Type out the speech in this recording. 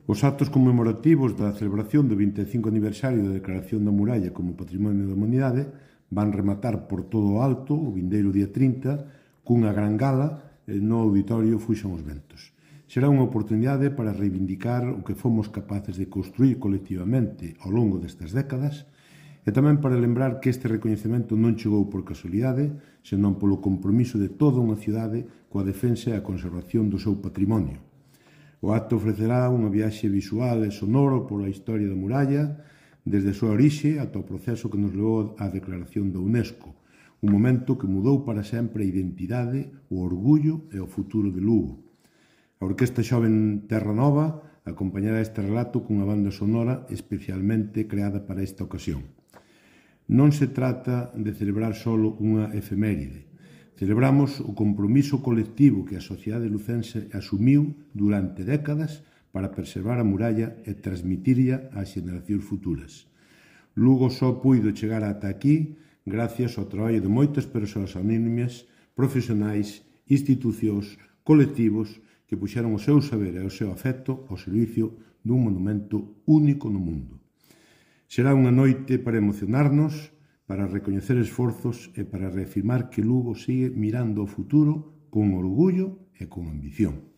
Os actos conmemorativos da celebración do 25 aniversario da Declaración da Muralla como Patrimonio da Humanidade van rematar por todo o alto o vindeiro día 30 cunha gran gala no Auditorio Fuxan os Ventos. Será unha oportunidade para reivindicar o que fomos capaces de construir colectivamente ao longo destas décadas e tamén para lembrar que este recoñecemento non chegou por casualidade, senón polo compromiso de toda unha cidade coa defensa e a conservación do seu patrimonio. O acto ofrecerá unha viaxe visual e sonoro pola historia da muralla, desde a súa orixe ata o proceso que nos levou á declaración da UNESCO, un momento que mudou para sempre a identidade, o orgullo e o futuro de Lugo. A Orquesta Xoven Terra Nova acompañará este relato cunha banda sonora especialmente creada para esta ocasión. Non se trata de celebrar solo unha efeméride. Celebramos o compromiso colectivo que a sociedade lucense asumiu durante décadas para preservar a muralla e transmitirla ás xeracións futuras. Lugo só puido chegar ata aquí gracias ao traballo de moitas persoas anónimas, profesionais, institucións, colectivos que puxeron o seu saber e o seu afecto ao servicio dun monumento único no mundo. Será unha noite para emocionarnos, para recoñecer esforzos e para reafirmar que Lugo sigue mirando ao futuro con orgullo e con ambición.